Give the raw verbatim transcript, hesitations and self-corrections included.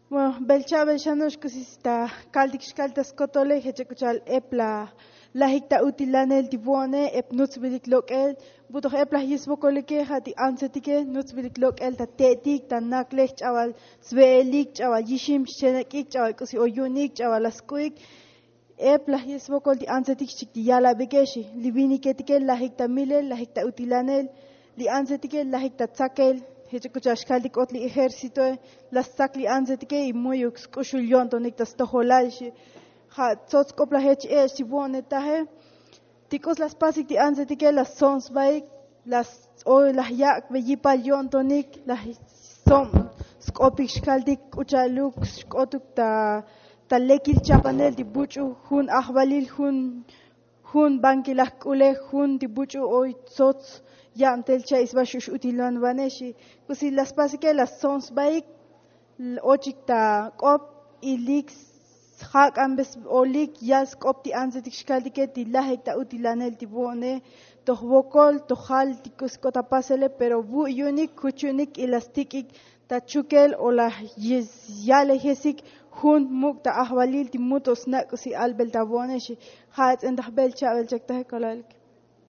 Bueno, bel cha'bel xano'ox k'usi ta kaltik xkal ta skotole jech ek k'u cha'al ep la lajik ta utilanel ti vo'one ep nutzbilik lok'el. Butoj ep laj yisvokolike ja' ti antsetike nutzbilik lok'el ta te'etik ta naklej ch'abal sve'elik ch'abal yixim xchenek'ik ch'abal k'usi o yu'unik ch'abal la sk'u'ik. Ep laj yisvokol ti antsetik xchik ti yalabike xi li viniketike lajik ta milel lajik ta utilanel. Li antsetike lajik ta tsakel jech ek k'u cha'al xkaltik k'ot li ejércitoe la stsak li antsetike y mu'yuk sk'uxul yo'ntonik ta stojolal xi. Ja' tsots k'op laj jech e'ex ti vo'netaje ti k'us la spasik ti antsetike la stso'on sbaik la o laj yak' be yipal yo'ntonik laj stso'on sk'opik xkaltik k'u cha'aluk xk'otuk ta ta lekil chapanel ti buch'u jun ajvalil jun jun bankilaj k'ulej jun ti buch'u oy tsots ya'mtel cha'isba xux utilanvanex xi. K'usi la spasike la stso'on sbaik ochik ta k'op ilik sjak'anbe olik yal sk'op ti antsetik xkaltike ti lajik ta utilanel ti vo'one toj vokol tojal ti k'usi k'ot ta pasele pero vu' yu'unik juch yu'unik y la stik'ik ta chukel o la yalejesik jun muk' ta ajvalil ti mut o snak' k'usi albel ta vo'one xi. Ja' ats'entaj bel cha'bel chaktaje kolalik.